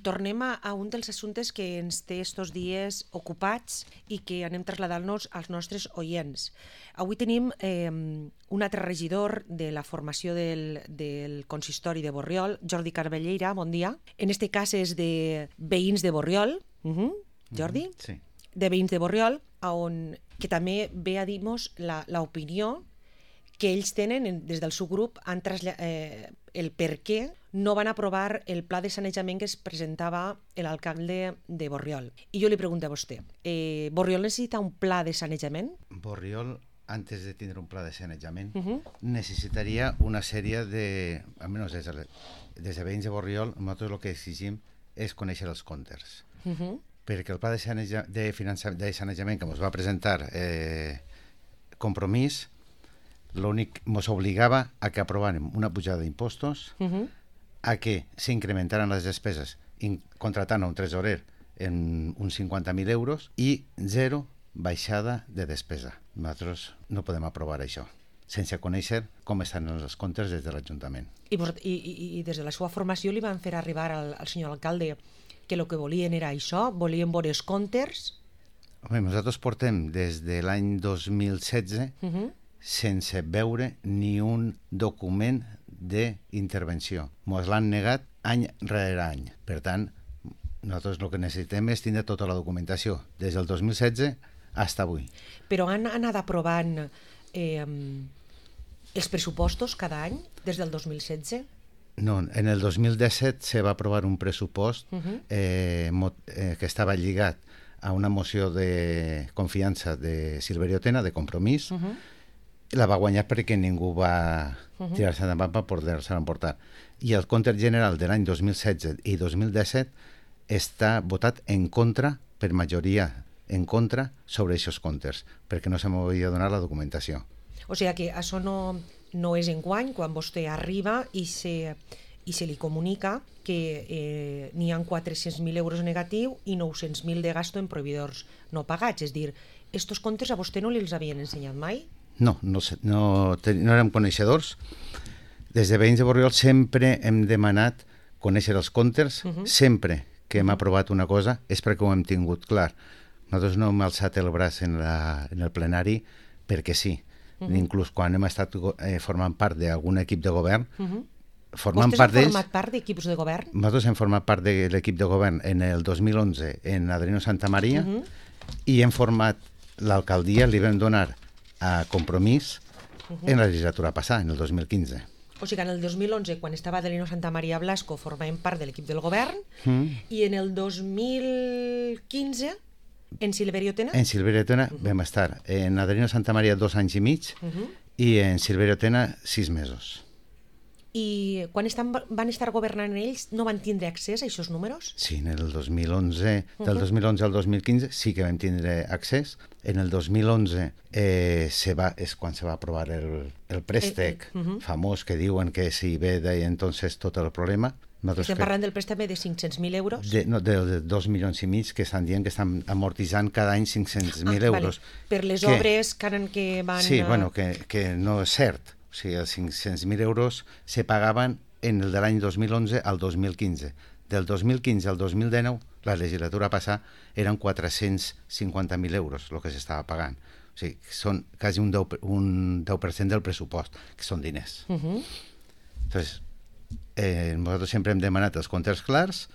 Tornem a un dels assumptes que ens té estos dies ocupats i que anem traslladant-nos als nostres oients. Avui tenim un altre regidor de la formació del consistori de Borriol, Jordi Carballeira, bon dia. En este cas és de veïns de Borriol, Jordi? Sí. De veïns de Borriol, que també ve a dir-nos l'opinió que ells tenen des del seu grup el per què no van aprovar el pla de sanejament que es presentava l'alcalde de Borriol. I jo li pregunto a vostè, Borriol necessita un pla de sanejament? Borriol, antes de tindre un pla de sanejament, necessitaria una sèrie de, almenys des de veïns de Borriol, nosaltres el que exigim és conèixer els comptes. Perquè el pla de sanejament que ens va presentar Compromís, l'únic ens obligava a que aprovàrem una pujada d'impostos, a que s'incrementaran les despeses contratant un tresorer en uns 50.000 euros i zero baixada de despesa. Nosaltres no podem aprovar això sense conèixer com estan els comptes des de l'Ajuntament. I des de la seva formació li van fer arribar al senyor alcalde que el que volien era això? Volien veure els comptes? Home, nosaltres portem des de l'any 2016 sense veure ni un document d'intervenció. Ens l'han negat any rere any. Per tant, nosaltres el que necessitem és tindre tota la documentació, des del 2016 fins avui. Però han anat aprovant els pressupostos cada any, des del 2016? No, en el 2017 se va aprovar un pressupost que estava lligat a una moció de confiança de Silverio Tena, de Compromís, la va guanyar perquè ningú va tirar-se endavant per poder-se emportar. I el compte general de l'any 2016 i 2017 està votat en contra, per majoria en contra, sobre aquests comptes, perquè no se m'havia donat la documentació. O sigui que això no és enguany, quan vostè arriba i se li comunica que n'hi ha 400.000 euros negatiu i 900.000 de gasto en proveïdors no pagats. És a dir, estos comptes a vostè no li els havien ensenyat mai? No érem coneixedors. Des de veïns de Borriol sempre hem demanat conèixer els comptes, sempre que hem aprovat una cosa és perquè ho hem tingut clar. Nosaltres no hem alçat el braç en el plenari perquè sí. Inclús quan hem estat formant part d'algun equip de govern, formant part d'ells... Vostès han format part d'equips de govern? Nosaltres hem format part de l'equip de govern en el 2011 en Adriano Santamaria i hem format l'alcaldia, li vam donar a Compromís en la legislatura passada, en el 2015. O sigui que en el 2011, quan estava Adelino Santamaria Blasco, formàvem part de l'equip del govern, i en el 2015, en Silverio Tena? En Silverio Tena vam estar en Adelino Santamaria 2 anys i mig i en Silverio Tena 6 mesos. I quan van estar governant ells, no van tindre accés a aquests números? Sí, en el 2011, del 2011 al 2015 sí que vam tindre accés. En el 2011 és quan se va aprovar el préstec famós que diuen que si ve de entonces tot el problema. Estem parlant del préstec de 500.000 euros? De 2,5 milions que estan dient que estan amortitzant cada any 500.000 euros. Per les obres que van... Sí, bueno, que no és cert. O sigui, els 500.000 euros se pagaven en el de l'any 2011 al 2015. Del 2015 al 2019, la legislatura passada, eren 450.000 euros el que s'estava pagant. O sigui, són quasi un 10% del pressupost, que són diners. Entonces, nosaltres sempre hem demanat els comptes clars.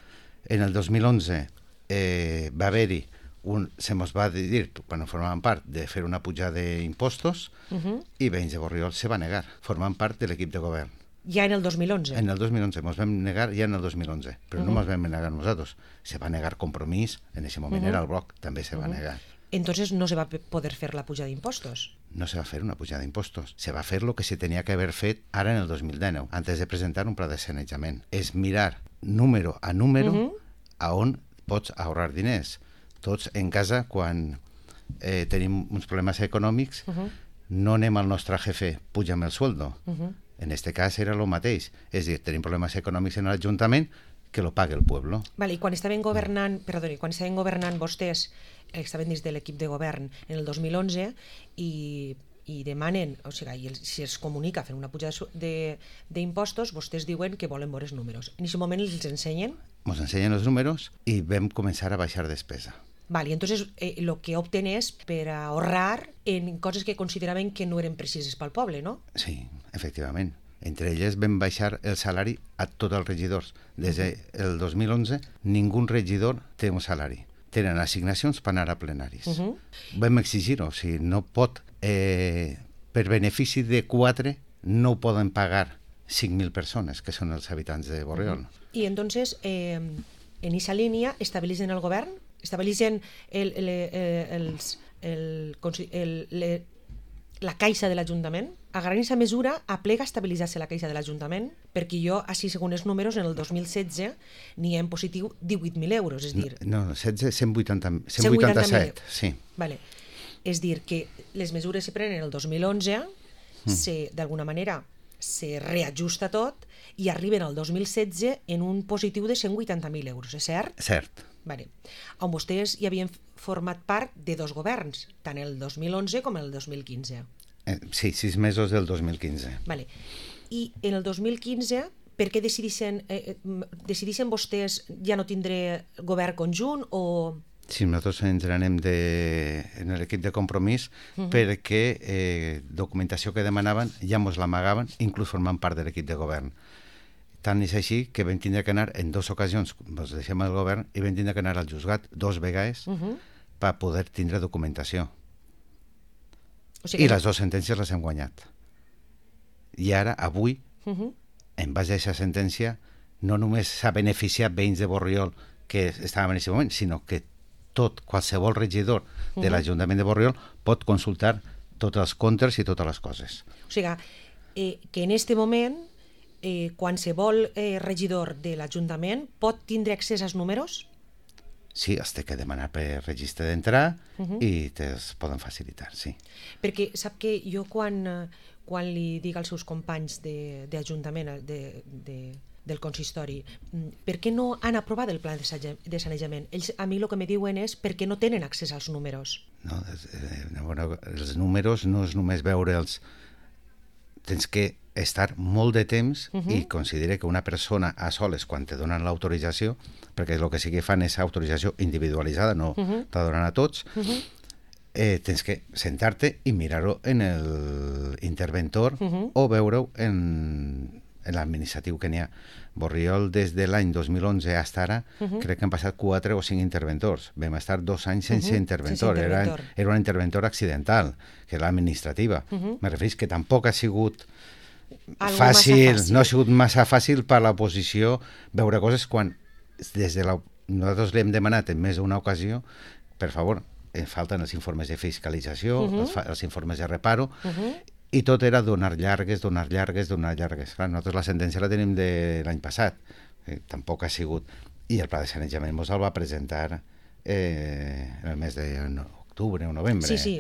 En el 2011 va haver-hi se ens va dir, quan formàvem part, de fer una pujada d'impostos i veïns de Borriol se va negar, formant part de l'equip de govern. Ja en el 2011? En el 2011, ens vam negar ja en el 2011, però no ens vam negar nosaltres. Se va negar Compromís, en aquest moment era el Bloc, també se va negar. Entonces no se va poder fer la pujada d'impostos? No se va fer una pujada d'impostos. Se va fer el que se tenia que haver fet ara en el 2019, antes de presentar un pla de sanejament. És mirar número a número a on pots ahorrar diners. Tots en casa, quan tenim uns problemes econòmics, no anem al nostre jefe, puja'm el sueldo. En este cas era el mateix. És a dir, tenim problemes econòmics en l'Ajuntament, que lo pague el pueblo. Vale, i quan estaven governant vostès, estaven dins de l'equip de govern en el 2011 i demanen, o sigui, si es comunica fent una pujada d'impostos, vostès diuen que volen veure els números. En aquest moment els ensenyen? ens ensenyen els números i vam començar a baixar despesa. Vale, entonces lo que opten és per ahorrar en coses que consideraven que no eren precises pel poble, no? Sí, efectivament. Entre elles vam baixar el salari a tots els regidors. Des del 2011 ningú regidor té un salari. Tenen assignacions per anar a plenaris. Vam exigir-ho, o sigui, no pot, per benefici de 4, no ho poden pagar 5.000 persones, que són els habitants de Borriol. I entonces, en aquesta línia, estabilitzen el govern? Estabilitzen la caixa de l'Ajuntament? A aquesta mesura aplega a estabilitzar-se la caixa de l'Ajuntament, perquè jo, així segons els números, en el 2016 n'hi ha en positiu 18.000 euros, és dir... No, 16, 187, sí. Vale. És dir, que les mesures se prenen el 2011, d'alguna manera se reajusta tot i arriben al 2016 en un positiu de 180.000 euros, és cert? Cert. Vale. On vostès hi havien format part de 2 governs, tant el 2011 com el 2015. Sí, 6 mesos del 2015. Vale. I en el 2015, per què decideixen vostès ja no tindré govern conjunt o... Sí, nosaltres ens anem en l'equip de compromís perquè documentació que demanaven ja ens l'amagaven, inclús formant part de l'equip de govern. Tant és així que vam tindre que anar en 2 ocasions, ens deixem el govern, i vam tindre que anar al juzgat 2 vegades per poder tindre documentació. O sigui, i les 2 sentències les hem guanyat. I ara, avui, en base a aquesta sentència, no només s'ha beneficiat veïns de Borriol que estaven en aquest moment, sinó que qualsevol regidor de l'Ajuntament de Borriol pot consultar tots els comptes i totes les coses. O sigui, que en aquest moment qualsevol regidor de l'Ajuntament pot tindre accés als números? Sí, es té que demanar per registre d'entrar i te'ls poden facilitar, sí. Perquè sap que jo quan li dic als seus companys d'Ajuntament, del consistori, per què no han aprovat el pla de sanejament? Ells a mi el que me diuen és perquè no tenen accés als números. No, els números no és només veure'ls, tens que estar molt de temps i considera que una persona a soles, quan te donen l'autorització, perquè el que sí que fan és autorització individualitzada, no te la donen a tots, tens que sentar-te i mirar-ho en l'interventor o veure-ho en l'administratiu que n'hi ha. Borriol, des de l'any 2011 fins ara, crec que han passat 4 o 5 interventors. Vam estar 2 anys sense interventor. Era una interventora accidental, que era l'administrativa. Me refereix que tampoc ha sigut fàcil, no ha sigut massa fàcil per l'oposició veure coses quan nosaltres li hem demanat en més d'una ocasió, per favor, falten els informes de fiscalització, els informes de reparo, i tot era donar llargues. Clar, nosaltres la sentència la tenim de l'any passat, tampoc ha sigut. I el pla de sanejament ens el va presentar en el mes d'octubre o novembre. Sí,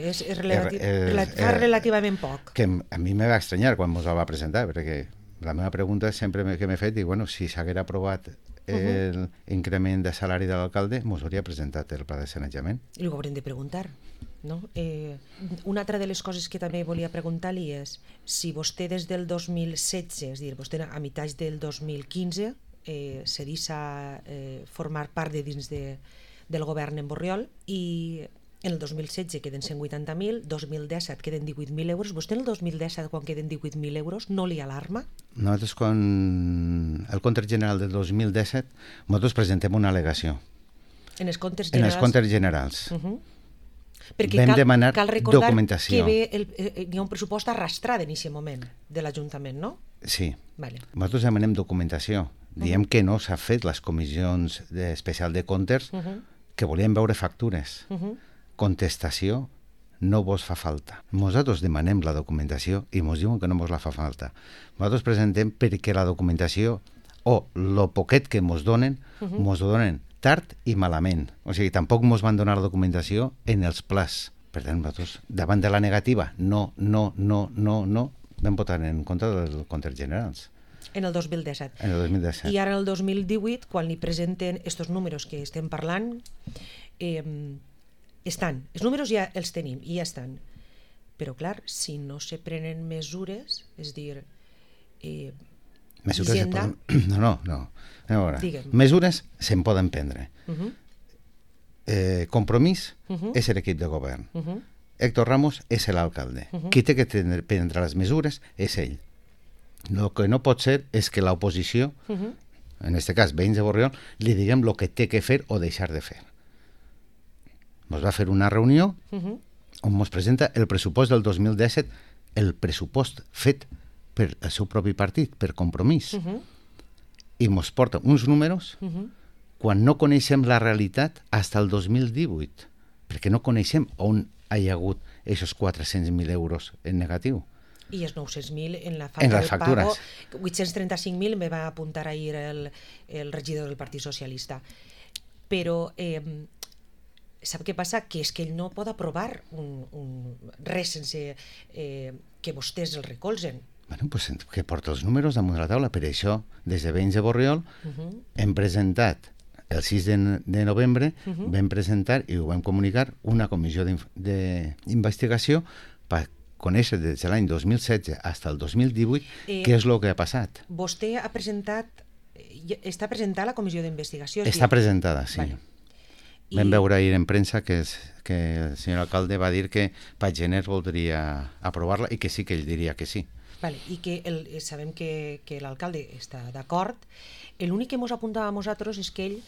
fa relativament poc. Que a mi me va estranyar quan ens el va presentar, perquè la meva pregunta sempre que m'he fet, si s'haguera aprovat l'increment de salari de l'alcalde, ens hauria presentat el pla de sanejament. I ho haurem de preguntar. No? Una altra de les coses que també volia preguntar-li és si vostè des del 2016, és a dir, vostè a mitjans del 2015 se deixa formar part de dins del govern en Borriol i en el 2016 queden 180.000, 2017 queden 18.000 euros. Vostè en el 2017, quan queden 18.000 euros, no li alarma? Nosaltres, quan el compte general del 2017, nosaltres presentem una al·legació. En els comptes generals? En els comptes generals. Perquè vam demanar cal recordar documentació. Que hi ha un pressupost arrastrat en aquest moment de l'Ajuntament, no? Sí. Vale. Nosaltres demanem documentació. Diem que no s'ha fet les comissions especial de comptes, que volien veure factures. Contestació no vos fa falta. Nosaltres demanem la documentació i ens diuen que no vos la fa falta. Nosaltres presentem perquè la documentació o lo poquet que ens donen tard i malament. O sigui, tampoc ens van donar la documentació en els plans. Per tant, nosaltres, davant de la negativa, no, vam votar en contra dels comptes generals. En el 2017. En el 2017. I ara en el 2018, quan li presenten aquests números que estem parlant, estan. Els números ja els tenim i ja estan. Però clar, si no se prenen mesures, és dir, Mesures Hisenda... No. A veure, Digue'm. mesures se'n poden prendre. Compromís Uh-huh. és l'equip de govern. Uh-huh. Héctor Ramos és l'alcalde. Qui té que prendre les mesures és ell. El que no pot ser és que l'oposició, en aquest cas veïns de Borriol, li diguem el que té que fer o deixar de fer. Ens va fer una reunió on ens presenta el pressupost del 2017, el pressupost fet per el seu propi partit, per Compromís. I ens porta uns números quan no coneixem la realitat fins al 2018, perquè no coneixem on hi ha hagut aquests 400.000 euros en negatiu. I els 900.000 en la En falta les del factures. pago. 835.000 me va apuntar ahir el regidor del Partit Socialista. Però sap què passa? Que és que ell no pot aprovar res sense que vostès el recolzen. Bueno, pues que porta els números damunt de la taula. Per això, des de Veïns de Borriol, hem presentat, el 6 de novembre, vam presentar i ho vam comunicar una comissió d'investigació per conèixer des de l'any 2016 fins al 2018 què és el que ha passat. Vostè ha presentat, està presentada la comissió d'investigació? Està presentada, sí. Vale. Vam veure ahir en premsa que el senyor alcalde va dir que per gener voldria aprovar-la i que sí, que ell diria que sí. Vale, i que sabem que l'alcalde està d'acord. L'únic que ens apuntava a nosaltres és que ell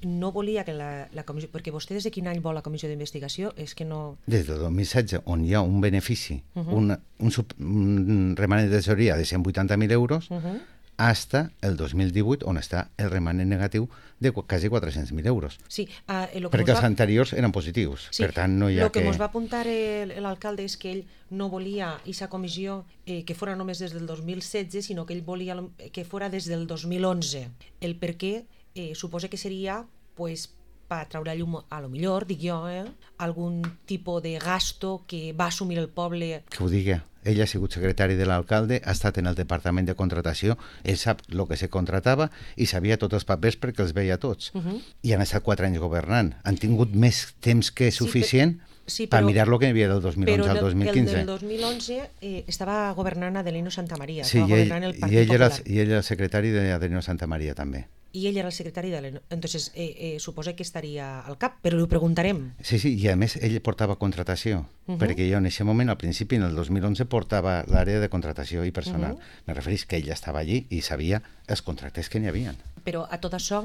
no volia que la comissió... Perquè vostè des de quin any vol la comissió d'investigació? És que no... Des del 2016, on hi ha un benefici, un remanent de tesoreria de 180.000 euros, hasta el 2018, on està el remanent negatiu de quasi 400.000 euros. Sí, perquè els anteriors eren positius, sí, per tant no hi ha que... El que ens va apuntar l'alcalde és que ell no volia aquesta comissió que fora només des del 2016, sinó que ell volia que fora des del 2011. El per què suposa que seria pues, per treure a llum, a lo millor, dic jo, algun tipus de gasto que va assumir el poble. Que ho digui. Ell ha sigut secretari de l'alcalde, ha estat en el departament de contratació, ell sap el que se contratava i sabia tots els papers perquè els veia tots. I han estat 4 anys governant. Han tingut més temps que suficient per mirar el que hi havia del 2011 al 2015. Però el del 2011 estava governant Adelino Santamaría. Sí, estava governant el Partit Popular. I ell era el secretari d'Adelino Santamaría també. I ell era el secretari de Entonces, suposa que estaria al cap, però li preguntarem. Sí, i a més ell portava contratació, perquè jo en aquest moment, al principi, en el 2011, portava l'àrea de contratació i personal. Me referís que ell estava allí i sabia els contractes que n'hi havia. Però a tot això,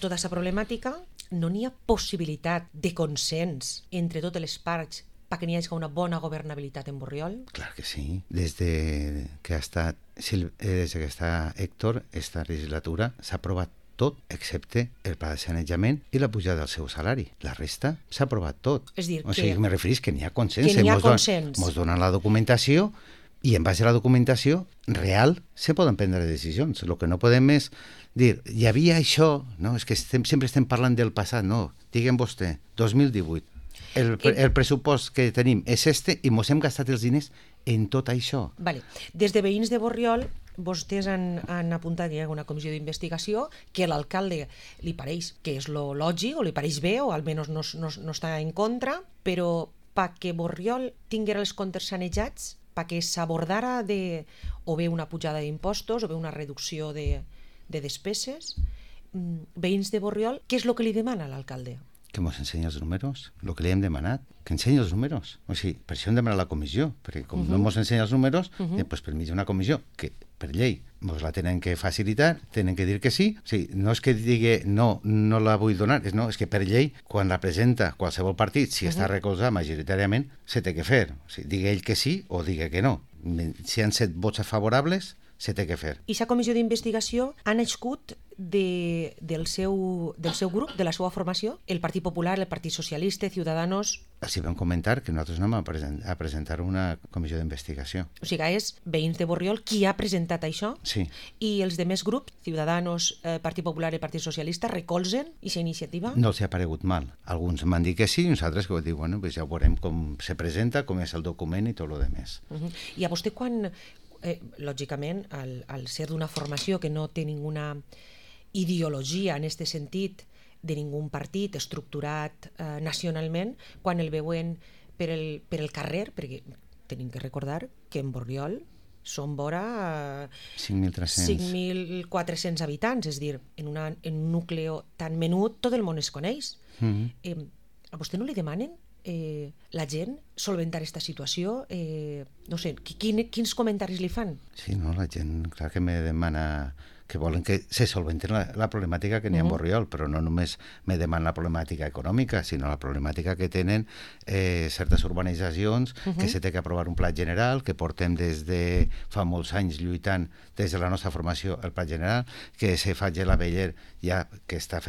tota aquesta problemàtica, no n'hi ha possibilitat de consens entre totes les parts perquè n'hi hagi una bona governabilitat en Borriol? Clar que sí. Des que està Héctor, esta legislatura s'ha aprovat tot, excepte el pla de sanejament i la pujada del seu salari. La resta s'ha aprovat tot. És dir, o sigui, me referís que n'hi ha consens. Que n'hi ha consens. Mos donen la documentació i en base a la documentació real se poden prendre decisions. El que no podem és dir, hi havia això, no? És que sempre estem parlant del passat, no. Digue'm vostè, 2018. El pressupost que tenim és i mos hem gastat els diners en tot això. Vale. Des de Veïns de Borriol, vostès han apuntat que hi ha una comissió d'investigació que a l'alcalde li pareix que és lo lògic, o li pareix bé, o almenys no està en contra, però perquè Borriol tinguera els comptes sanejats, perquè s'abordara o bé una pujada d'impostos o bé una reducció de despeses, Veïns de Borriol, què és el que li demana l'alcalde? Que ens ensenyi els números, el que li hem demanat, que ensenyi els números. O sigui, per això hem demanat la comissió, perquè com no ens ensenya els números, doncs per mig d'una comissió que per llei ens la tenen que facilitar, tenen que dir que sí. O sigui, no és que digui no la vull donar, és que per llei, quan la presenta qualsevol partit, si està recolzat majoritàriament, se té que fer. O sigui, digui ell que sí o digui que no. Si han set vots favorables, se té que fer. I aquesta comissió d'investigació ha nascut del seu grup, de la seva formació, el Partit Popular, el Partit Socialista, Ciudadanos... Els vam comentar que nosaltres anem a presentar una comissió d'investigació. O sigui, és Veïns de Borriol qui ha presentat això? Sí. I els demés grups, Ciudadanos, Partit Popular i Partit Socialista, recolzen aquesta iniciativa? No els ha paregut mal. Alguns m'han dit que sí i uns altres que diuen, bueno, pues ja veurem com se presenta, com és el document i tot el demés. I a vostè quan... lògicament, al ser d'una formació que no té ninguna ideologia en aquest sentit de ningú partit estructurat nacionalment, quan el veuen per el carrer, perquè tenim que recordar que en Borriol són vora 5.300. 5.400 habitants, és a dir, en un nucli tan menut tot el món es coneix. A vostè no li demanen la gent solventar aquesta situació? No sé, quins comentaris li fan? Sí, no, la gent, clar que me demana que volen que se solventi la problemàtica que n'hi ha en Borriol, però no només me demanen la problemàtica econòmica, sinó la problemàtica que tenen certes urbanitzacions, que se té que aprovar un pla general, que portem des de fa molts anys lluitant des de la nostra formació el pla general, que se faci la Beller ja que està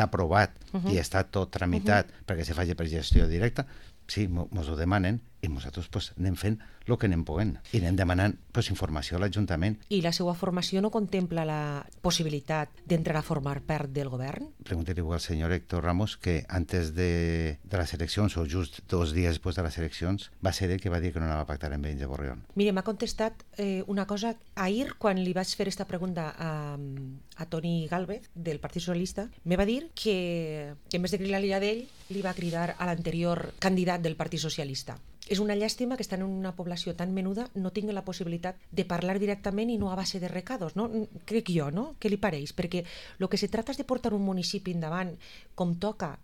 aprovat i està tot tramitat perquè se faci per gestió directa. Sí, mos ho demanen i nosaltres anem fent el que anem podent i anem demanant informació a l'Ajuntament. I la seva formació no contempla la possibilitat d'entrar a formar part del govern? Preguntaré-ho al senyor Héctor Ramos, que antes de les eleccions, o just 2 dies després de les eleccions, va ser ell que va dir que no anava a pactar amb ells de Borriol. Mire, m'ha contestat una cosa. Ahir, quan li vaig fer aquesta pregunta a Toni Gálvez, del Partit Socialista, me va dir que en vez de cridar-li a ell, li va cridar a l'anterior candidat del Partit Socialista. És una llàstima que estan en una població tan menuda no tingui la possibilitat de parlar directament i no a base de recados, no? Crec jo, no? Què li pareix? Perquè el que se trata és de portar un municipi endavant com toca.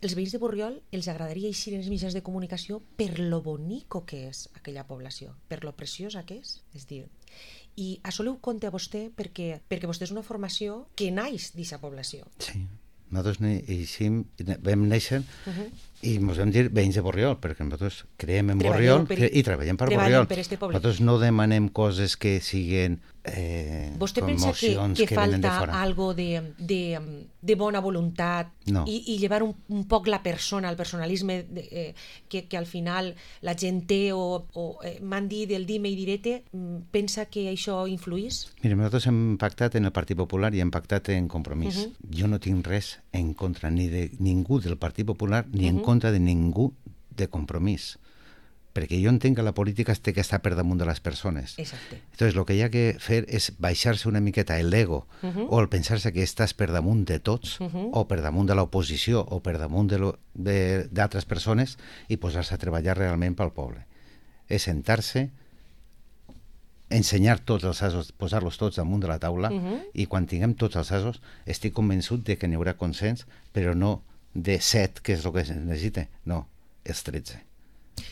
Els veïns de Borriol els agradaria eixir en els mitjans de comunicació per lo bonico que és aquella població, per lo preciosa que és. És dir, i això ho compte a vostè perquè vostè és una formació que naix d'aquesta població. Sí. Nosaltres vam néixer i ens vam dir veïns de Borriol, perquè nosaltres creiem en Borriol i treballem per Borriol. Nosaltres no demanem coses que siguin vostè pensa que falta algo de bona voluntat i llevar un poc la persona, el personalisme que al final la gent té o m'han dit del dime i direte, pensa que això influís? Mira, nosaltres hem pactat en el Partit Popular i hem pactat en Compromís. Jo no tinc res en contra ni de ningú del Partit Popular ni en contra de ningú de Compromís, perquè jo entenc que la política té que estar per damunt de les persones. Exacte. Entonces, lo que hi ha que fer és baixar-se una miqueta l'ego o el pensar-se que estàs per damunt de tots o per damunt de l'oposició o per damunt d'altres persones i posar-se a treballar realment pel poble. És sentar-se, ensenyar tots els asos, posar-los tots damunt de la taula i quan tinguem tots els asos estic convençut de que n'hi haurà consens, però no de 7, que és el que es necessita, no, els 13.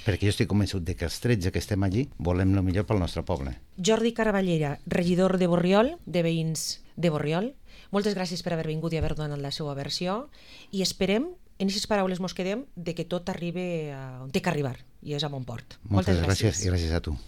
Perquè jo estic convençut de que els 13 que estem allí volem el millor pel nostre poble. Jordi Caraballera, regidor de Borriol, de veïns de Borriol, moltes gràcies per haver vingut i haver donat la seva versió i esperem, en aquestes paraules mos quedem, de que tot arribi on té que arribar, i és a bon port. Moltes gràcies i gràcies a tu.